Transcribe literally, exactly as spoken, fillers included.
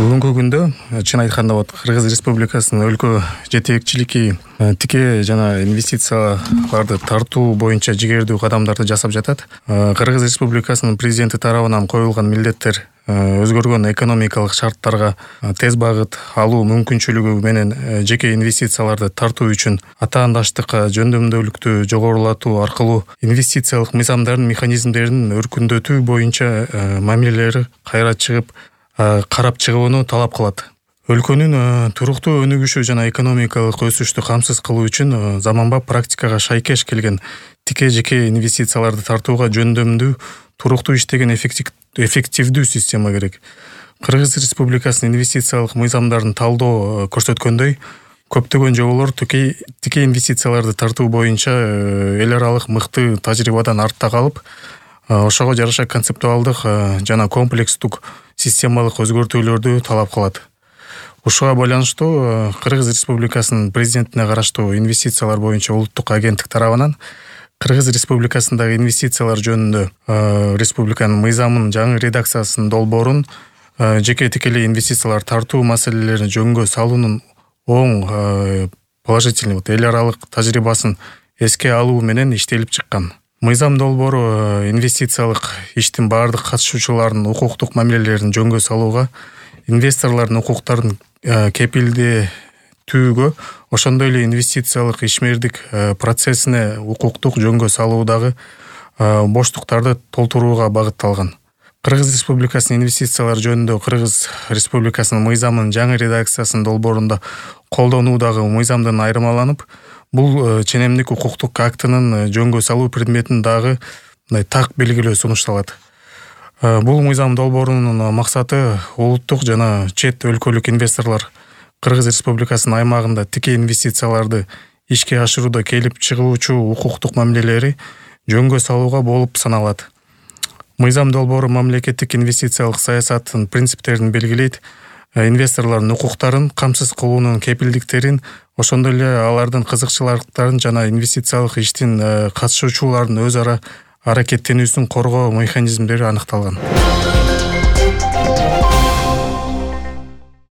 Бүгүнкү күндө чын айтканда вот Кыргыз Республикасынын өлкө жетекчилиги тике жана инвестицияларды тартуу боюнча жигердүү кадамдарды жасап жатат. Кыргыз Республикасынын президенти тарабынан коюлган милдеттер өзгөргөн экономикалык шарттарга тез багыт алуу мүмкүнчүлүгү менен жеке инвестицияларды тартуу үчүн атаандаштыкка жөндөмдүүлүктү жогорулатуу аркылуу инвестициялык мыйзамдардын механизмдерин өркүндөтүү боюнча мамилелери кайра чыгып карап чыгууну талап кылат. Өлкөнүн туруктуу өнүгүшү жана экономикалык өсүштү камсыз кылуу үчүн заманбап практикага шайкеш келген тике жеке инвестицияларды тартууга жөндөмдүү, туруктуу иштеген эффективдүү система керек. Кыргыз Республикасынын инвестициялык мыйзамдарын талдоо көрсөткөндөй, көптөгөн жоболор тике тике инвестицияларды тартуу боюнча эл аралык мыкты тажрыйбадан артта калып, ошого жараша концептуалдык жана комплекстук системалык өзгөртүүлөрдү талап кылат. Ушуга байланыштуу Кыргыз Республикасынын президентине караштуу инвестициялар боюнча улуттук агенттик тарабынан Кыргыз Республикасындагы инвестициялар жөнүндө республиканын мыйзамынын жаңы редакциясынын долбоорун жеке тикелей инвестициялар тартуу маселелерин жөнгө салуунун оң положительный эл аралык тажрыйбасын эске алуу менен иштелип чыккан. Мыйзам долбоору инвестициялык иштин бардык катышуучуларынын укуктук мамилелерин жөнгө салууга, инвесторлордун укуктарын кепилдетүүгө, ошондой эле инвестициялык ишмердик процессине укуктук жөнгө салуудагы боштуктарды толтурууга багытталган. Кыргыз Республикасынын инвестициялар жөнүндө Кыргыз Республикасынын мыйзамынын жаңы редакциясынын долбоорунда колдонуудагы мыйзамдан айырмаланып, бул ченемдик укуктук актынын жөнгө салуу предметин дагы так белгилөө сунушталат. Бул мыйзам долбоорунун максаты улуттук жана чет өлкөлүк инвесторлор Кыргыз Республикасынын аймагында тике инвестицияларды ишке ашырууда келип чыгуучу укуктук мамилелери жөнгө салууга болуп саналат. Мыйзам долбоору мамлекеттик инвестициялык саясаттын принциптерин белгилейт, инвесторлордун укуктарын камсыз кылуунун кепилдиктерин, ошондой эле алардын кызыкчылыктарын жана инвестициялык иштин катышуучулардын өз ара аракеттенүүсүн коргоо механизмдери аныкталган.